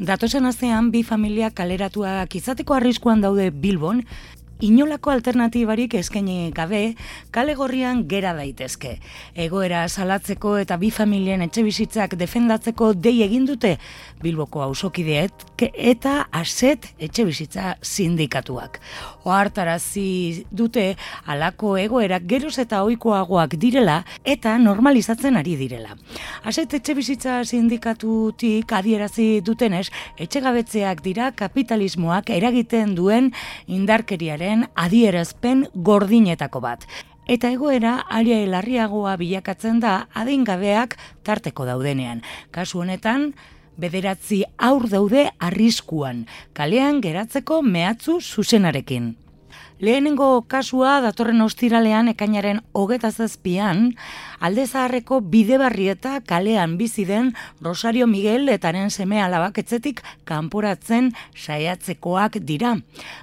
Datozen astean bi familia kaleratuak izateko arriskuan daude Bilbon, inolako alternatibarik eskaini gabe, kale gorrian gera daitezke. Egoera salatzeko eta bi familien etxebizitzak defendatzeko dei egin dute Bilboko auzokideek eta ASET etxebizitza sindikatuak. Ohartarazi dute halako egoerak geroz eta ohikoagoak direla eta normalizatzen ari direla. ASET etxebizitza sindikatutik adierazi dutenez, etxegabetzeak dira kapitalismoak eragiten duen indarkeriaren adierazpen gordinetako bat. Eta egoera are larriagoa bilakatzen da adingabeak tarteko daudenean. Kasu honetan, 9 haur daude arriskuan, kalean geratzeko mehatxu zuzenarekin. Lehenengo kasua datorren ostiralean ekainaren 27an, Alde Zaharreko Bidebarrieta kalean bizi den Rosario Miguel etaren seme-alabak etxetik kanporatzen saiatzekoak dira.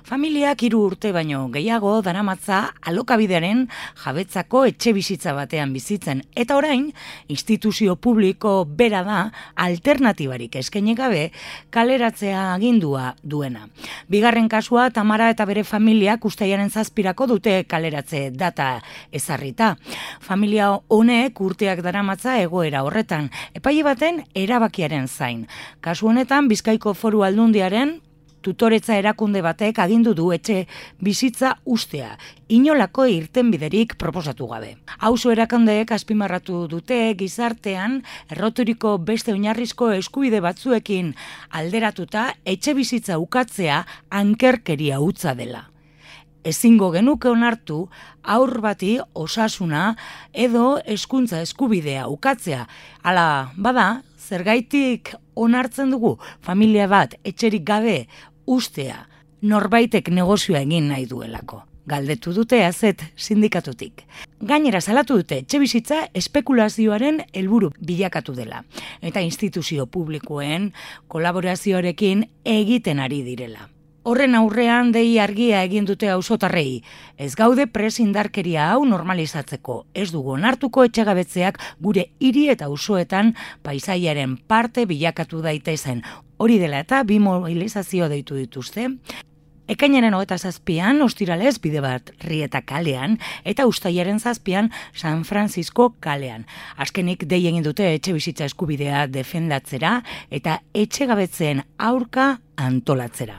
Familiak 3 urte baino gehiago daramatza alokabidearen jabetzako etxebizitza batean bizitzen, eta orain instituzio publiko bera da alternatibarik eskaini gabe kaleratzea agindua duena. Bigarren kasua Tamara eta bere familiak Uztailaren 7irako dute kaleratze data ezarrita. Familia honek urteak daramatza egoera horretan, epaile baten erabakiaren zain. Kasu honetan Bizkaiko Foru Aldundiaren tutoretza erakunde batek agindu du etxe bizitza ustea, inolako irtenbiderik proposatu gabe. Auzo erakundeek azpimarratu dute gizartean erroturiko beste oinarrizko eskubide batzuekin alderatuta etxe bizitza ukatzea ankerkeria hutsa dela. Ezingo genuke onartu haur bati osasuna edo hezkuntza eskubidea ukatzea. Hala bada, zergaitik onartzen dugu familia bat etxerik gabe ustea norbaitek negozioa egin nahi duelako. Galdetu dute ASET sindikatutik. Gainera salatu dute etxebizitza espekulazioaren helburu bilakatu dela eta instituzio publikoen kolaborazioarekin egiten ari direla. Horren aurrean dei argia egin dute auzotarrei. Ez gaude indarkeria hau normalizatzeko. Ez dugu onartuko etxegabetzeak gure hiri eta auzoetan paisaiaren parte bilakatu daitezen. Hori dela eta bi mobilizazio deitu dituzte. Ekainaren 27an ostiralez Bidebarrieta kalean eta Uztailaren 7an San Francisco kalean. Azkenik dei egin dute etxebizitza eskubidea defendatzera eta etxegabetzeen aurka antolatzera.